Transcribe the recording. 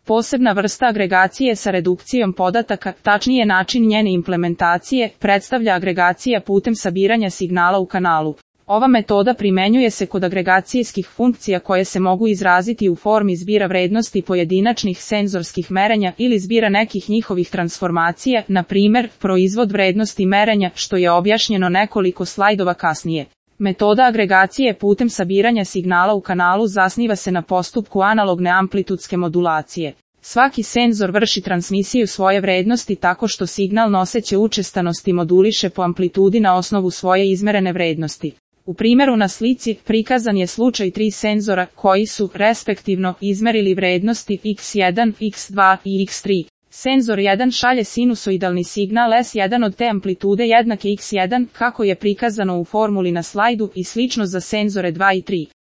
Posebna vrsta agregacije sa redukcijom podataka, tačnije način njene implementacije, predstavlja agregacija putem sabiranja signala u kanalu. Ova metoda primenjuje se kod agregacijskih funkcija koje se mogu izraziti u formi zbira vrednosti pojedinačnih senzorskih merenja ili zbira nekih njihovih transformacija, na primjer, proizvod vrednosti merenja, što je objašnjeno nekoliko slajdova kasnije. Metoda agregacije putem sabiranja signala u kanalu zasniva se na postupku analogne amplitudske modulacije. Svaki senzor vrši transmisiju svoje vrednosti tako što signal noseće učestanosti moduliše po amplitudi na osnovu svoje izmerene vrednosti. U primjeru na slici prikazan je slučaj 3 senzora koji su, respektivno, izmerili vrednosti x1, x2 i x3. Senzor 1 šalje sinusoidalni signal S1 od te amplitude jednake x1, kako je prikazano u formuli na slajdu, i slično za senzore 2 i 3.